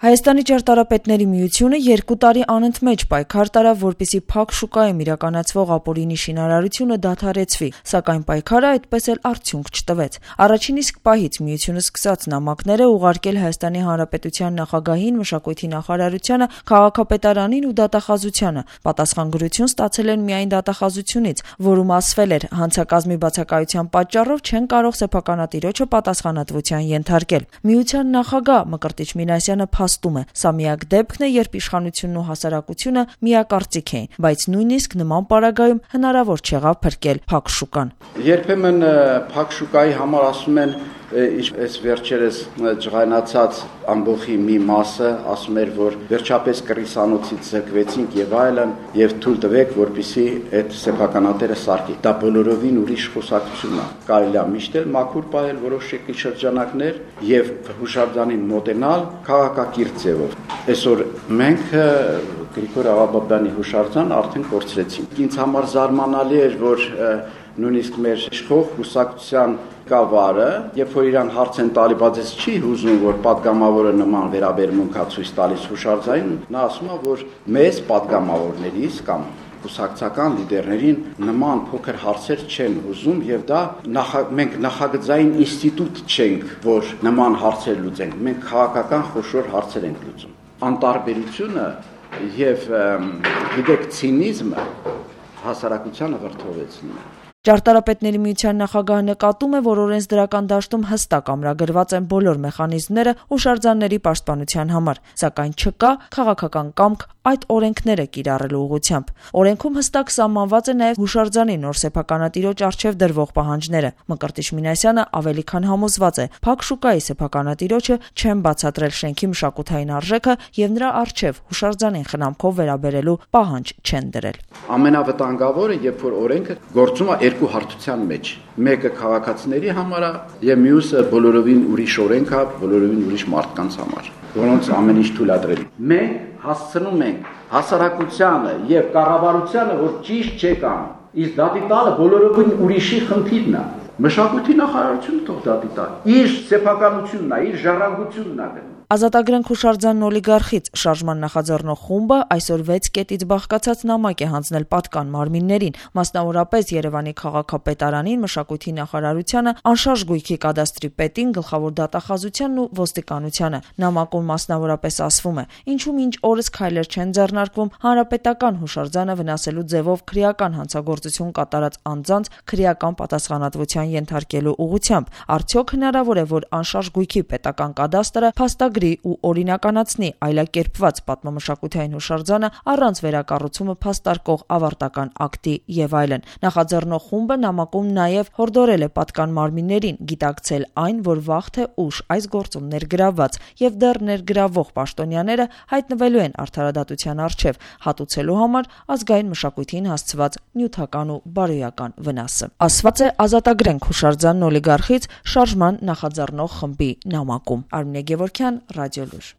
Հայաստանի ճարտարապետների միությունը 2 տարի անընդմեջ պայքար տարավ, որպեսզի փակ շուկայում իրականացվող ապօրինի շինարարությունը դադարեցվի, սակայն պայքարը այդպես էլ արդյունք չտվեց։ Առաջին իսկ պահից միությունը սկսած նամակները ուղարկել Հայաստանի Հանրապետության նախագահին, մշակույթի նախարարությանը, քաղաքապետարանին ու դատախազությանը։ Պատասխանագրություն ստացել են միայն դատախազությունից, որում ասվել էր, հանցակազմի բացակայության պատճառով չեն կարող սեփականատիրոջը պատասխանատվության ենթարկել։ Միության նախագահ Մկրտիչ Մինասյանը փաստում է, սա միակ դեպքն է, երբ իշխանությունն ու հասարակությունը միակարծիք էին, բայց նույնիսկ նման պարագայում հնարավոր չեղավ փրկել փակ շուկան։ Երբեմն փակ շուկայի համար ասում են, այս վերջերս ջղայնացած ամբողջի մի մասը ասում էր, որ վերջապես կռիսանոցից զրկվեցինք եւ այլն, եւ թույլ տվեք, որպեսզի այդ սեփականատերը սարքի։ Դա բոլորովին ուրիշ խոսակցություն է։ Կարելի է միշտ էլ մաքուր պահել որոշ շրջանակներ եւ հուշարձանին մոտենալ քաղաքակիրթ ձևով։ Այսօր մենք Գրիգոր Աղաբաբյանի հուշարձան արդեն կորցրեցինք։ Ինձ համար զարմանալի էր, որ նույնիսկ մեր իշխող կուսակցության կավարը, երբ որ իրան հարց են տալի, բայց ես չի հուզում, որ падգամավորը նման վերաբերմունք է ցույց տալիս հուշարձանին, նա ասում է, որ մեզ падգամավորներից կամ կուսակցական լիդերներին նման փոքր հարցեր չեն հուզում եւ դա մենք նախագծային ինստիտուտ չենք, որ նման հարցեր լուծենք, մենք քաղաքական խոշոր հարցեր ենք լուծում։ Անտարբերությունը եւ գիտեք ցինիզմը հասարակությանը վրդովեցնում է։ Ճարտարապետների միության նախագահը նկատում է, որ օրենսդրական դաշտում հստակ ամրագրված են բոլոր մեխանիզմները հուշարձանների պաշտպանության համար, սակայն չկա քաղաքական կամք այդ օրենքները կիրառելու ուղղությամբ։ Օրենքում հստակ սահմանված է նաև հուշարձանի նոր սեփականատիրոջ առջև դրվող պահանջները։ Մկրտիչ Մինասյանը ավելի քան համոզված է, փակ շուկայի սեփականատիրոջը չեն բացատրել շենքի մշակութային արժեքը եւ նրա առջև հուշարձանին խնամքով վերաբերելու պահանջ չեն դրել։ Ամենավտանգավորը, երբ որ օրենքը գործում է երկու հարթության մեջ, մեկը քաղաքացիների համար է եւ մյուսը բոլորովին ուրիշ օրենք է, բոլորովին ուրիշ մարդկանց համար, որոնց ամեն ինչ թույլատրել։ Մենք հասցնում ենք հասարակությանը եւ կառավարությանը, որ ճիշտ չեք անում, իսկ դատի տալը բոլորովին ուրիշի խնդիրն է։ Մշակույթի նախարարությունը թող դատի տա։ Իր սեփականությունն է, իր ժառանգությունն է։ Ազատագրենք հուշարձանն օլիգարխից շարժման նախաձեռնող խումբը այսօր 6 կետից բաղկացած նամակ է հանձնել պատկան մարմիններին, մասնավորապես Երևանի քաղաքապետարանին, մշակույթի նախարարությանը, անշարժ գույքի կադաստրի պետին, գլխավոր դատախազությանն ու ոստիկանությանը։ Նամակում մասնավորապես ասվում է, ինչու մինչ օրս քայլեր չեն ձեռնարկվում հանրապետական հուշարձանը վնասելու ձևով քրեական հանցագործություն կատարած անձանց քրեական պատասխանատվության ենթարկելու ուղղությամբ։ Արդյոք հնարավոր է, որ անշարժ գույքի պետական կադաստրը փաստագրի ու օրինականացնի այլակերպված պատմամշակութային հուշարձանը առանց վերակառուցումը փաստարկող ավարտական ակտի եւ այլն։ Նախաձեռնող խումբը նամակում նաեւ հորդորել է պատկան մարմիններին գիտակցել այն, որ վաղ թե ուշ այս գործում ներգրավված եւ դեռ ներգրավող պաշտոնյաները հայտնվելու են արդարադատության առջև, հատուցելու համար ազգային մշակույթին հասցված նյութական ու բարոյական վնասը։ Ասված է Ազատագրենք հուշարձանն օլիգարխից շարժման նախաձեռնող խմբի նամակում։ Արմինե Գևորգյան, Ռադիոլուր։